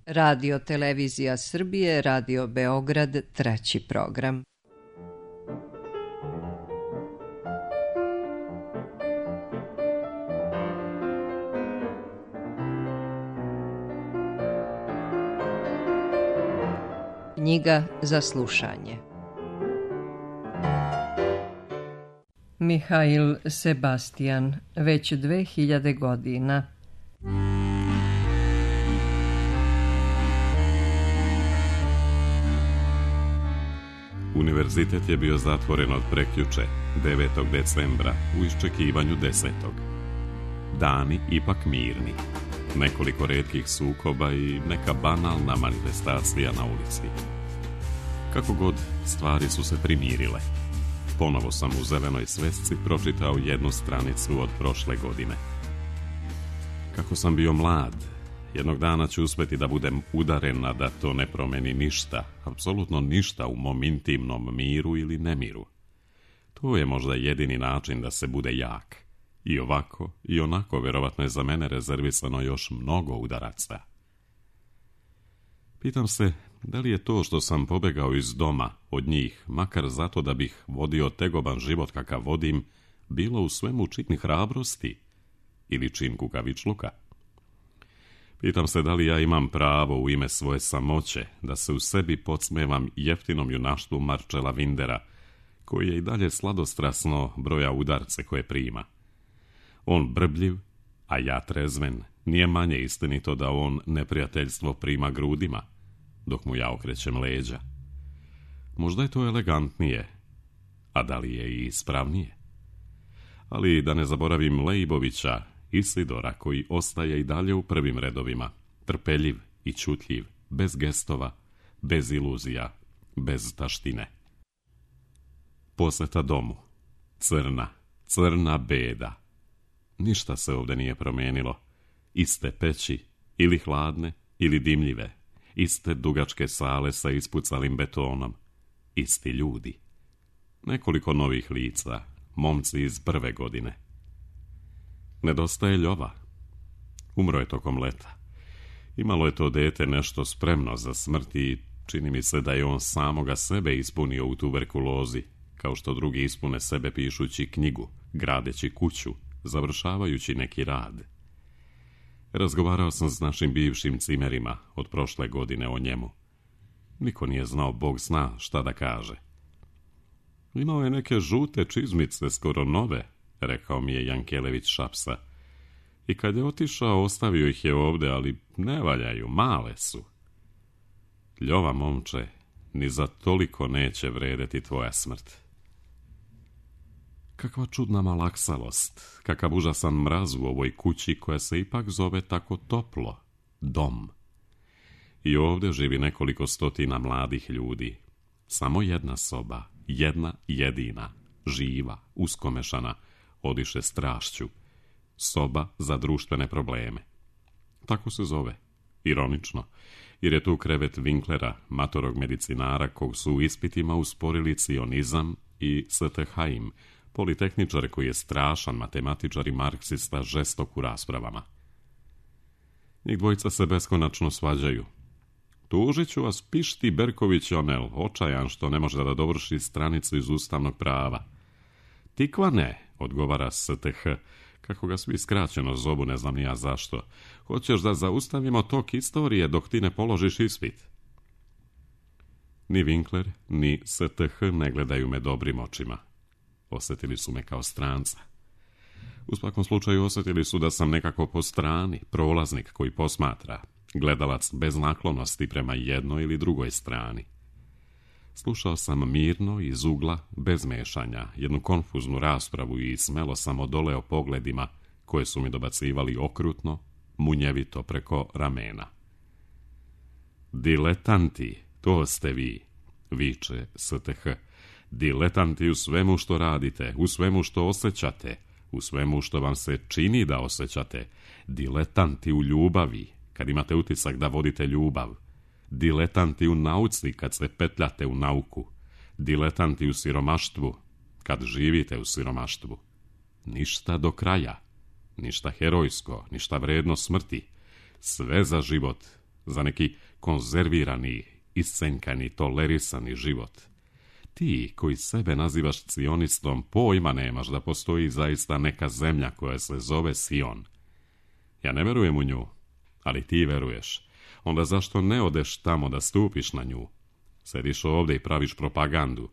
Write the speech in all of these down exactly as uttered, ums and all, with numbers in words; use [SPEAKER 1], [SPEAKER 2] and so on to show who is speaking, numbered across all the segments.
[SPEAKER 1] Radio Televizija Srbije, Radio Beograd, treći program. Knjiga za slušanje. Mihail Sebastian, već dve hiljade godina.
[SPEAKER 2] Univerzitet je bio zatvoren od prekjuče, devetog decembra, u iščekivanju desetog. Dani ipak mirni. Nekoliko retkih sukoba i neka banalna manifestacija na ulici. Kako god, stvari su se primirile. Ponovo sam u zelenoj svesci pročitao jednu stranicu od prošle godine. Kako sam bio mlad, jednog dana ću uspjeti da budem udaren, a da to ne promeni ništa, apsolutno ništa u mom intimnom miru ili nemiru. To je možda jedini način da se bude jak. I ovako, i onako, vjerovatno je za mene rezervisano još mnogo udaraca. Pitam se, da li je to što sam pobegao iz doma od njih, makar zato da bih vodio tegoban život kakav vodim, bilo u svemu čin hrabrosti ili čin kukavičluka? Pitam se da li ja imam pravo u ime svoje samoće da se u sebi podsmevam jeftinom junaštvu Marcela Windera, koji je i dalje sladostrasno broja udarce koje prima. On brbljiv, a ja trezven, nije manje istinito da on neprijateljstvo prima grudima, dok mu ja okrećem leđa. Možda je to elegantnije, a da li je i ispravnije? Ali da ne zaboravim Leibovića, Isidora, koji ostaje i dalje u prvim redovima, trpeljiv i čutljiv, bez gestova, bez iluzija, bez taštine. Poseta domu. Crna, crna beda. Ništa se ovdje nije promijenilo. Iste peći, ili hladne, ili dimljive. Iste dugačke sale sa ispucalim betonom. Isti ljudi. Nekoliko novih lica, momci iz prve godine. Nedostaje Ljova. Umro je tokom leta. Imalo je to dete nešto spremno za smrt i čini mi se da je on samoga sebe ispunio u tuberkulozi, kao što drugi ispune sebe pišući knjigu, gradeći kuću, završavajući neki rad. Razgovarao sam s našim bivšim cimerima od prošle godine o njemu. Niko nije znao, Bog zna šta da kaže. Imao je neke žute čizmice, skoro nove, rekao mi je Jankelević Šapsa. I kad je otišao, ostavio ih je ovde, ali ne valjaju, male su. Ljova, momče, ni za toliko neće vredeti tvoja smrt. Kakva čudna malaksalost, kakav užasan mraz u ovoj kući koja se ipak zove tako toplo, dom. I ovdje živi nekoliko stotina mladih ljudi. Samo jedna soba, jedna jedina, živa, uskomešana, odiše strašću. Soba za društvene probleme. Tako se zove. Ironično, jer je tu krevet Winklera, matorog medicinara, kog su u ispitima usporili cionizam i Stheim, politehničar koji je strašan matematičar i marksista, žestok u raspravama. Njih dvojica se beskonačno svađaju. Tužit ću vas, pišti Berković Onel, očajan što ne može da dovrši stranicu iz ustavnog prava. Tikva ne, odgovara S T H, kako ga svi skraćeno zovu, ne znam ni ja zašto. Hoćeš da zaustavimo tok istorije dok ti ne položiš ispit? Ni Winkler, ni S T H ne gledaju me dobrim očima. Osjetili su me kao stranca. U svakom slučaju osjetili su da sam nekako po strani, prolaznik koji posmatra, gledalac bez naklonosti prema jednoj ili drugoj strani. Slušao sam mirno, iz ugla, bez mešanja, jednu konfuznu raspravu i smelo sam odoleo pogledima koje su mi dobacivali okrutno, munjevito preko ramena. Diletanti, to ste vi, viče S T H. Diletanti u svemu što radite, u svemu što osjećate, u svemu što vam se čini da osjećate. Diletanti u ljubavi, kad imate utisak da vodite ljubav. Diletanti u nauci, kad se petljate u nauku. Diletanti u siromaštvu, kad živite u siromaštvu. Ništa do kraja, ništa herojsko, ništa vredno smrti. Sve za život, za neki konzervirani, iscenkani, tolerisani život. Ti koji sebe nazivaš cionistom, pojma nemaš da postoji zaista neka zemlja koja se zove Sion. Ja ne verujem u nju, ali ti veruješ. Onda zašto ne odeš tamo da stupiš na nju? Sediš ovdje i praviš propagandu,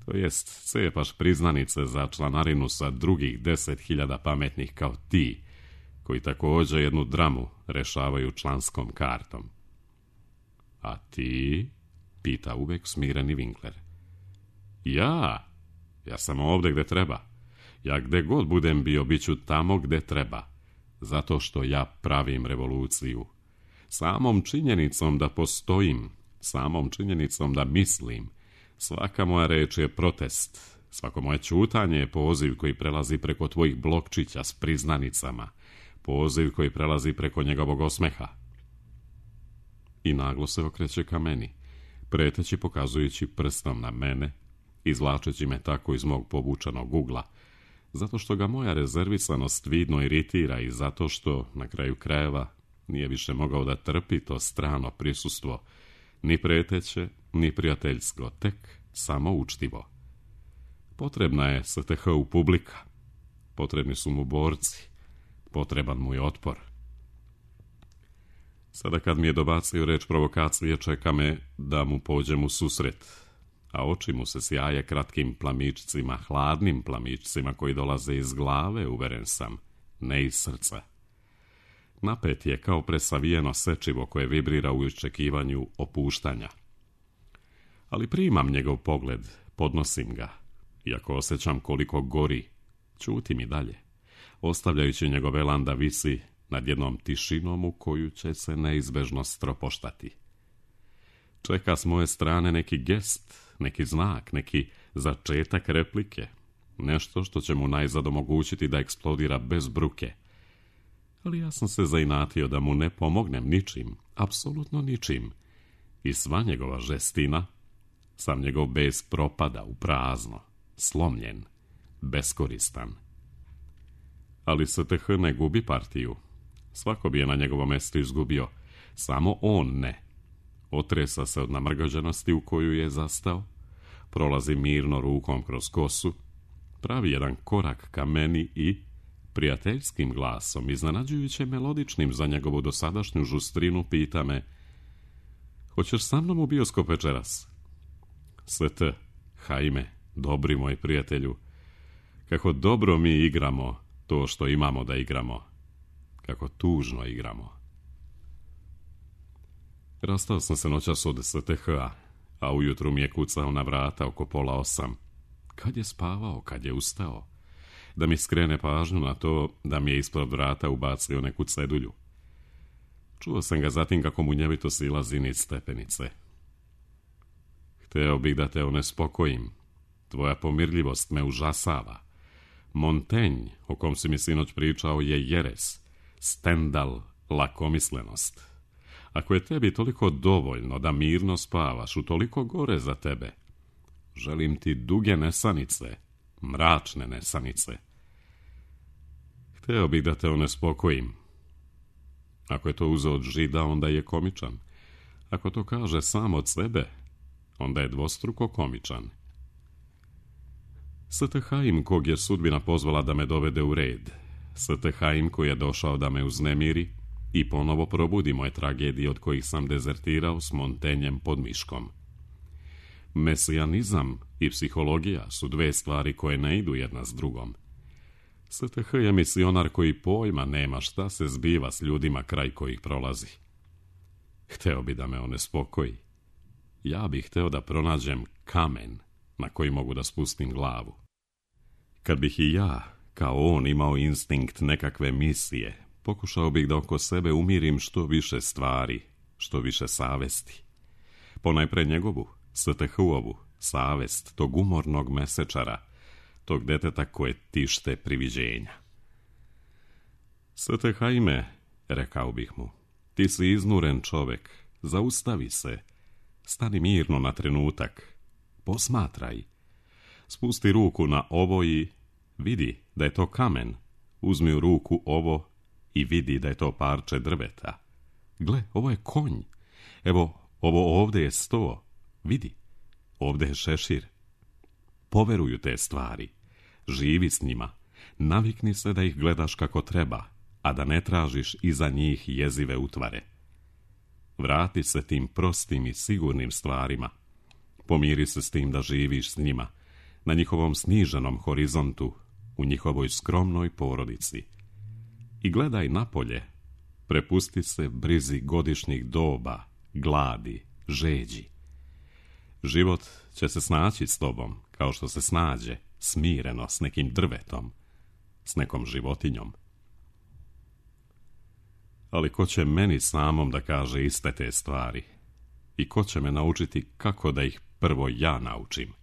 [SPEAKER 2] to jest cepaš priznanice za članarinu sa drugih deset hiljada pametnih kao ti, koji također jednu dramu rešavaju članskom kartom. A ti? Pita uvek smireni Winkler. Ja? Ja sam ovdje gde treba. Ja gde god budem bio, bit ću tamo gde treba. Zato što ja pravim revoluciju. Samom činjenicom da postojim, samom činjenicom da mislim, svaka moja reč je protest, svako moje ćutanje je poziv koji prelazi preko tvojih blokčića s priznanicama, poziv koji prelazi preko njegovog osmeha. I naglo se okreće ka meni, preteći pokazujući prstom na mene, izvlačeći me tako iz mog povučenog ugla, zato što ga moja rezervisanost vidno iritira i zato što, na kraju krajeva, nije više mogao da trpi to strano prisustvo, ni preteće, ni prijateljsko, tek samo učtivo. Potrebna je S T H-u publika, potrebni su mu borci, potreban mu je otpor. Sada kad mi je dobacio reč provokacije, čeka me da mu pođem u susret, a oči mu se sjaje kratkim plamičcima, hladnim plamičcima koji dolaze iz glave, uveren sam, ne iz srca. Napet je kao presavijeno sečivo koje vibrira u iščekivanju opuštanja. Ali primam njegov pogled, podnosim ga, iako osjećam koliko gori, ćutim i dalje, ostavljajući njegov elan da visi nad jednom tišinom u koju će se neizbežno stropoštati. Čeka s moje strane neki gest, neki znak, neki začetak replike, nešto što će mu najzad omogućiti da eksplodira bez bruke. Ali ja sam se zainatio da mu ne pomognem ničim, apsolutno ničim. I sva njegova žestina, sam njegov bes propada u prazno, slomljen, beskoristan. Ali S T H ne gubi partiju. Svako bi je na njegovom mestu izgubio, samo on ne. Otresa se od namrgođenosti u koju je zastao, prolazi mirno rukom kroz kosu, pravi jedan korak ka meni i prijateljskim glasom, iznenađujuće melodičnim za njegovu dosadašnju žustrinu, pita me: hoćeš sa mnom u bioskop večeras? S T, hajme, dobri moj prijatelju, kako dobro mi igramo to što imamo da igramo, kako tužno igramo. Rastao sam se noćas od S T H-a, a ujutru mi je kucao na vrata oko pola osam. Kad je spavao, kad je ustao? Da mi skrene pažnju na to da mi je ispod vrata ubacio neku cedulju. Čuo sam ga zatim kako mu njevito silazi niz stepenice. Hteo bih da te onespokojim. Tvoja pomirljivost me užasava. Montaigne, o kom si mi sinoć pričao, je jeres. Stendhal, lakomislenost. Ako je tebi toliko dovoljno da mirno spavaš, utoliko gore za tebe. Želim ti duge nesanice, mračne nesanice. Hteo bih da te onespokojim. Ako je to uzeo od žida, onda je komičan. Ako to kaže sam od sebe, onda je dvostruko komičan. S T H-im kog je sudbina pozvala da me dovede u red. S T H-im koji je došao da me uznemiri i ponovo probudi moje tragedije od kojih sam dezertirao s Montaignem pod miškom. Mesijanizam i psihologija su dve stvari koje ne idu jedna s drugom. S T H je misionar koji pojma nema šta se zbiva s ljudima kraj kojih prolazi. Hteo bi da me onespokoji. Ja bih hteo da pronađem kamen na koji mogu da spustim glavu. Kad bih i ja, kao on, imao instinkt nekakve misije, pokušao bih da oko sebe umirim što više stvari, što više savesti. Ponajpre njegovu, S T H-ovu, savest tog umornog mesečara, tog deteta koje tište priviđenja. S T H-ime, rekao bih mu, ti si iznuren čovek, zaustavi se, stani mirno na trenutak, posmatraj, spusti ruku na ovo i vidi da je to kamen, uzmi u ruku ovo i vidi da je to parče drveta. Gle, ovo je konj, Evo, ovo ovdje je sto. Vidi, ovdje je šešir. Poveruju te stvari. Živi s njima. Navikni se da ih gledaš kako treba, a da ne tražiš iza njih jezive utvare. Vrati se tim prostim i sigurnim stvarima. Pomiri se s tim da živiš s njima, na njihovom sniženom horizontu, u njihovoj skromnoj porodici. I gledaj napolje, prepusti se brizi godišnjih doba, gladi, žeđi. Život će se snaći s tobom, kao što se snađe, smireno, s nekim drvetom, s nekom životinjom. Ali ko će meni samom da kaže iste te stvari? I ko će me naučiti kako da ih prvo ja naučim?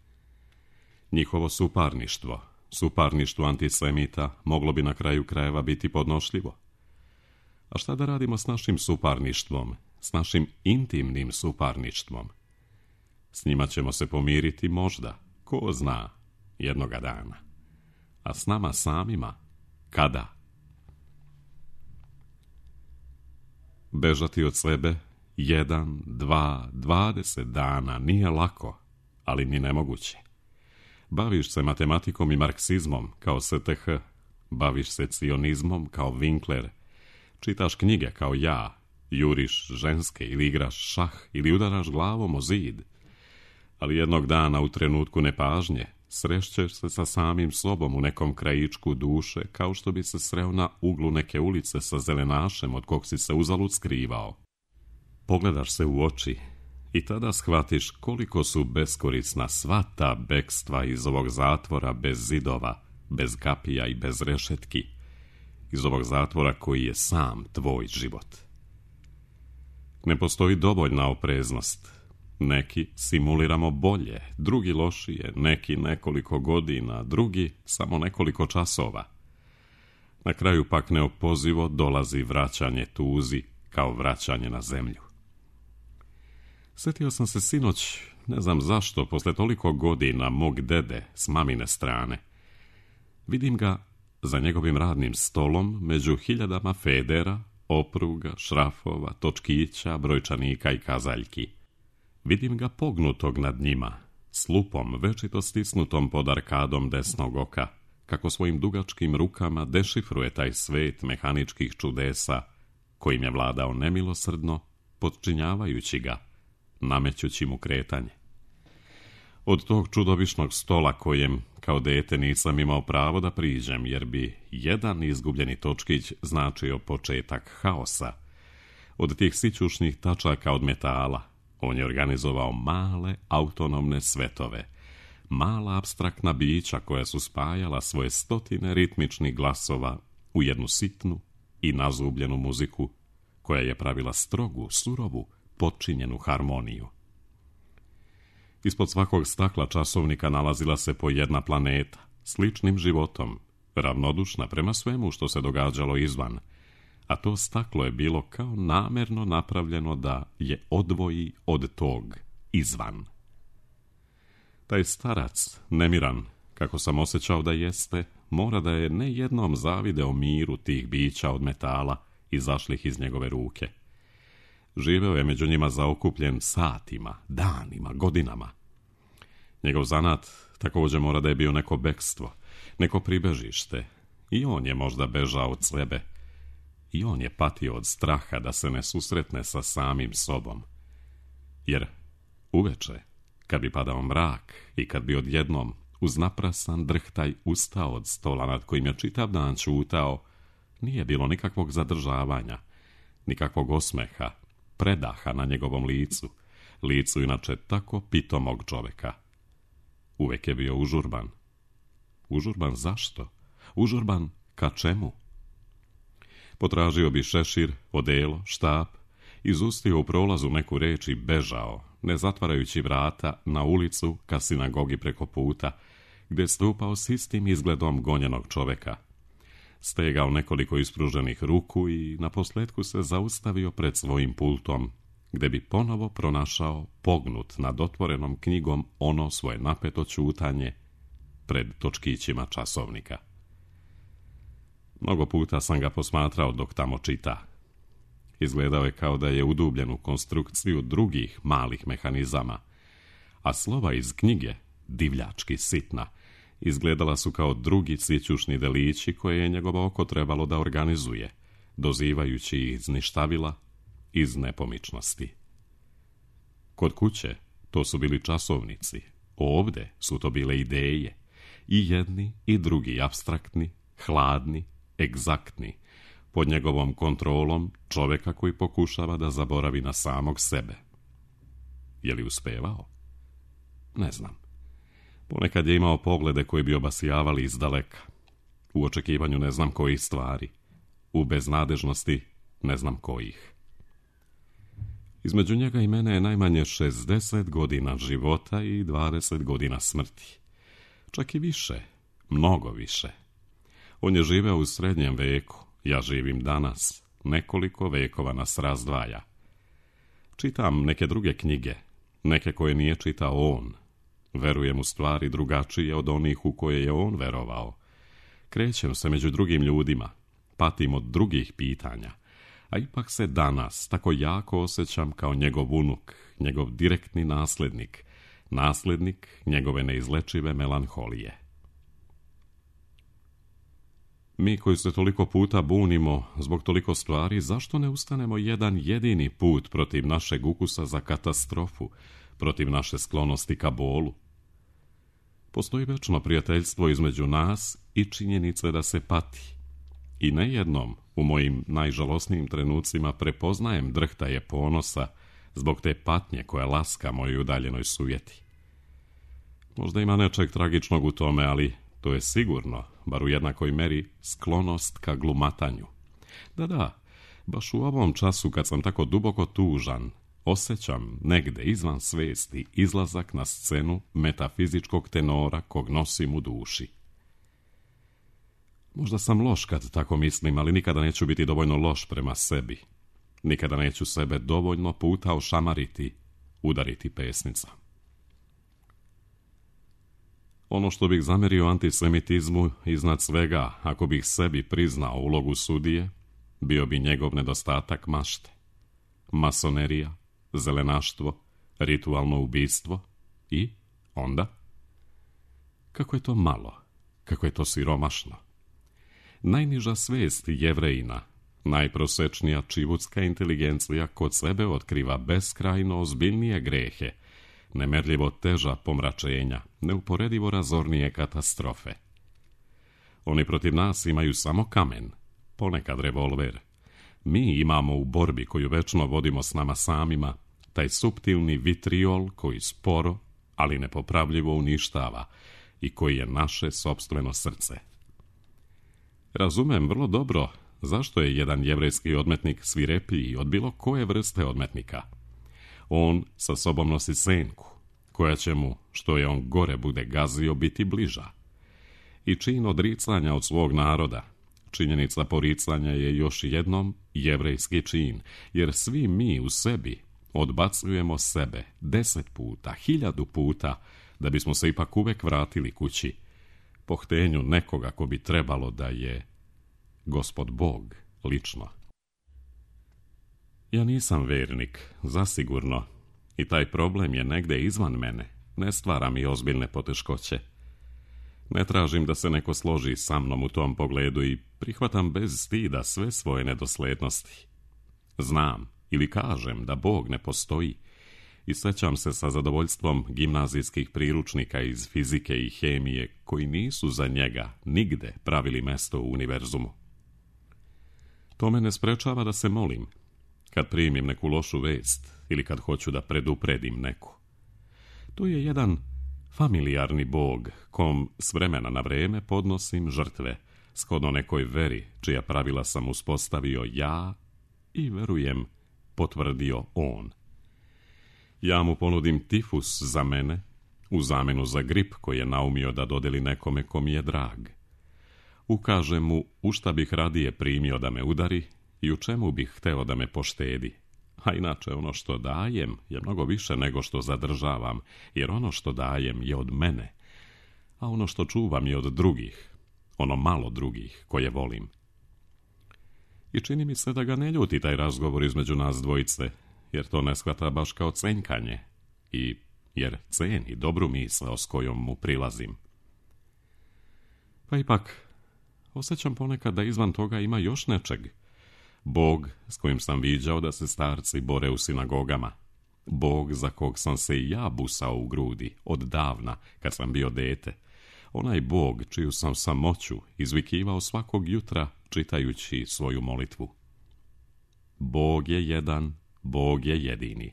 [SPEAKER 2] Njihovo suparništvo, suparništvo antisemita, moglo bi na kraju krajeva biti podnošljivo. A šta da radimo s našim suparništvom, s našim intimnim suparništvom? S njima ćemo se pomiriti možda, ko zna, jednoga dana. A s nama samima, kada? Bežati od sebe jedan, dva, dvadeset dana nije lako, ali ni nemoguće. Baviš se matematikom i marksizmom kao S T H, baviš se cionizmom kao Winkler, čitaš knjige kao ja, juriš ženske ili igraš šah ili udaraš glavom o zid. Ali jednog dana u trenutku nepažnje srešćeš se sa samim sobom u nekom krajičku duše, kao što bi se sreo na uglu neke ulice sa zelenašem od kog si se uzalud skrivao. Pogledaš se u oči i tada shvatiš koliko su beskorisna sva ta bekstva iz ovog zatvora bez zidova, bez kapija i bez rešetki, iz ovog zatvora koji je sam tvoj život. Ne postoji dovoljna opreznost. Neki simuliramo bolje, drugi lošije, neki nekoliko godina, drugi samo nekoliko časova. Na kraju pak neopozivo dolazi vraćanje tuzi kao vraćanje na zemlju. Sjetio sam se sinoć, ne znam zašto, posle toliko godina mog dede s mamine strane. Vidim ga za njegovim radnim stolom među hiljadama federa, opruga, šrafova, točkića, brojčanika i kazaljki. Vidim ga pognutog nad njima, s lupom večito stisnutom pod arkadom desnog oka, kako svojim dugačkim rukama dešifruje taj svet mehaničkih čudesa, kojim je vladao nemilosrdno, podčinjavajući ga, namećući mu kretanje. Od tog čudovišnog stola kojem, kao dete, nisam imao pravo da priđem, jer bi jedan izgubljeni točkić značio početak haosa. Od tih sićušnih tačaka od metala, on je organizovao male autonomne svetove, mala apstraktna bića koja su spajala svoje stotine ritmičnih glasova u jednu sitnu i nazubljenu muziku, koja je pravila strogu, surovu, potčinjenu harmoniju. Ispod svakog stakla časovnika nalazila se po jedna planeta, sličnim životom, ravnodušna prema svemu što se događalo izvan, a to staklo je bilo kao namerno napravljeno da je odvoji od tog izvan. Taj starac, nemiran, kako sam osjećao da jeste, mora da je ne jednom zavideo miru tih bića od metala izašlih iz njegove ruke. Živeo je među njima zaokupljen satima, danima, godinama. Njegov zanat također mora da je bio neko bekstvo, neko pribežište. I on je možda bežao od sebe. I on je patio od straha da se ne susretne sa samim sobom. Jer uveče, kad bi padao mrak i kad bi odjednom uz naprasan drhtaj ustao od stola nad kojim je čitav dan čutao, nije bilo nikakvog zadržavanja, nikakvog osmeha, predaha na njegovom licu, licu inače tako pitomog čoveka. Uvek je bio užurban. Užurban zašto? Užurban ka čemu? Potražio bi šešir, odelo, štap, izustio u prolazu neku reč i bežao, ne zatvarajući vrata, na ulicu ka sinagogi preko puta, gdje stupao s istim izgledom gonjenog čoveka. Stegao nekoliko ispruženih ruku i naposletku se zaustavio pred svojim pultom, gdje bi ponovo pronašao pognut nad otvorenom knjigom ono svoje napeto ćutanje pred točkićima časovnika. Mnogo puta sam ga posmatrao dok tamo čita. Izgledao je kao da je udubljen u konstrukciju drugih malih mehanizama, a slova iz knjige, divljački sitna, izgledala su kao drugi cvićušni delići koje je njegovo oko trebalo da organizuje, dozivajući ih iz ništavila, iz nepomičnosti. Kod kuće to su bili časovnici, ovde su to bile ideje, i jedni i drugi apstraktni, hladni, egzaktni, pod njegovom kontrolom čoveka koji pokušava da zaboravi na samog sebe. Je li uspevao? Ne znam. Ponekad je imao poglede koji bi obasjavali iz daleka. U očekivanju ne znam kojih stvari. U beznadežnosti ne znam kojih. Između njega i mene je najmanje šezdeset godina života i dvadeset godina smrti. Čak i više, mnogo više. On je živeo u srednjem veku, ja živim danas, nekoliko vekova nas razdvaja. Čitam neke druge knjige, neke koje nije čitao on. Verujem u stvari drugačije od onih u koje je on verovao. Krećem se među drugim ljudima, patim od drugih pitanja, a ipak se danas tako jako osjećam kao njegov unuk, njegov direktni naslednik, naslednik njegove neizlečive melanholije. Mi koji se toliko puta bunimo zbog toliko stvari, zašto ne ustanemo jedan jedini put protiv našeg ukusa za katastrofu, protiv naše sklonosti ka bolu? Postoji večno prijateljstvo između nas i činjenice da se pati. I nejednom u mojim najžalosnijim trenucima prepoznajem drhtaje ponosa zbog te patnje koja laska mojoj udaljenoj sujeti. Možda ima nečeg tragičnog u tome, ali to je sigurno, bar u jednakoj meri, sklonost ka glumatanju. Da, da, baš u ovom času kad sam tako duboko tužan, osjećam negde izvan svesti izlazak na scenu metafizičkog tenora kog nosim u duši. Možda sam loš kad tako mislim, ali nikada neću biti dovoljno loš prema sebi. Nikada neću sebe dovoljno puta ošamariti, udariti pesnica. Ono što bih zamerio antisemitizmu iznad svega, ako bih sebi priznao ulogu sudije, bio bi njegov nedostatak mašte. Masonerija, zelenaštvo, ritualno ubistvo i onda? Kako je to malo, kako je to siromašno. Najniža svest Jevrejina, najprosečnija čivutska inteligencija kod sebe otkriva beskrajno ozbiljnije grehe, nemerljivo teža pomračenja, neuporedivo razornije katastrofe. Oni protiv nas imaju samo kamen, ponekad revolver. Mi imamo u borbi koju večno vodimo s nama samima, taj suptilni vitriol koji sporo, ali nepopravljivo uništava i koji je naše sopstveno srce. Razumem vrlo dobro zašto je jedan jevrejski odmetnik svirepiji od bilo koje vrste odmetnika. On sa sobom nosi senku, koja će mu, što je on gore bude gazio, biti bliža. I čin odricanja od svog naroda, činjenica poricanja je još jednom jevrejski čin, jer svi mi u sebi odbacujemo sebe deset puta, hiljadu puta, da bismo se ipak uvek vratili kući, po htenju nekoga ko bi trebalo da je Gospod Bog lično. Ja nisam vernik, zasigurno, i taj problem je negde izvan mene, ne stvara mi ozbiljne poteškoće. Ne tražim da se neko složi sa mnom u tom pogledu i prihvatam bez stida sve svoje nedoslednosti. Znam ili kažem da Bog ne postoji i sećam se sa zadovoljstvom gimnazijskih priručnika iz fizike i hemije koji nisu za njega nigde pravili mesto u univerzumu. To me ne sprečava da se molim, kad primim neku lošu vest ili kad hoću da predupredim neku. To je jedan familijarni Bog kom s vremena na vreme podnosim žrtve, shodno nekoj veri čija pravila sam uspostavio ja i, verujem, potvrdio on. Ja mu ponudim tifus za mene, u zamenu za grip koji je naumio da dodeli nekome ko mi je drag. Ukažem mu u šta bih radije primio da me udari i u čemu bih hteo da me poštedi. A inače ono što dajem je mnogo više nego što zadržavam, jer ono što dajem je od mene, a ono što čuvam je od drugih, ono malo drugih koje volim. I čini mi se da ga ne ljuti taj razgovor između nas dvojice, jer to ne shvata baš kao cenjkanje, i jer ceni dobru misao s kojom mu prilazim. Pa ipak, osjećam ponekad da izvan toga ima još nečeg. Bog s kojim sam viđao da se starci bore u sinagogama. Bog za kog sam se i ja busao u grudi, od davna, kad sam bio dete. Onaj Bog čiju sam samoću izvikivao svakog jutra čitajući svoju molitvu. Bog je jedan, Bog je jedini.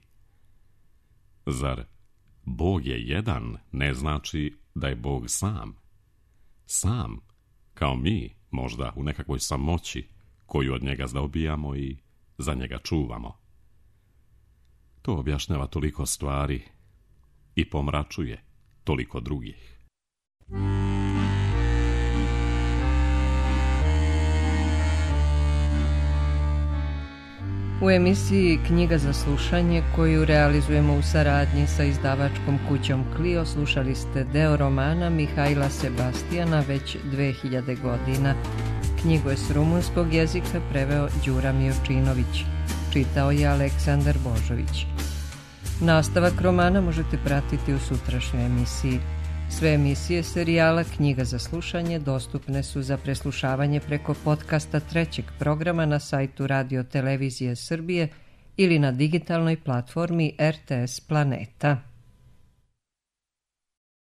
[SPEAKER 2] Zar Bog je jedan ne znači da je Bog sam? Sam, kao mi, možda u nekakvoj samoći, koju od njega zdobijamo i za njega čuvamo. To objašnjava toliko stvari i pomračuje toliko drugih.
[SPEAKER 1] U emisiji Knjiga za slušanje, koju realizujemo u saradnji sa izdavačkom kućom Clio, slušali ste deo romana Mihajla Sebastijana Već dve hiljade godina. Knjigu je s rumunskog jezika preveo Đura Miočinović. Čitao je Aleksandar Božović. Nastavak romana možete pratiti u sutrašnjoj emisiji. Sve emisije serijala Knjiga za slušanje dostupne su za preslušavanje preko podcasta trećeg programa na sajtu Radio Televizije Srbije ili na digitalnoj platformi R T S Planeta.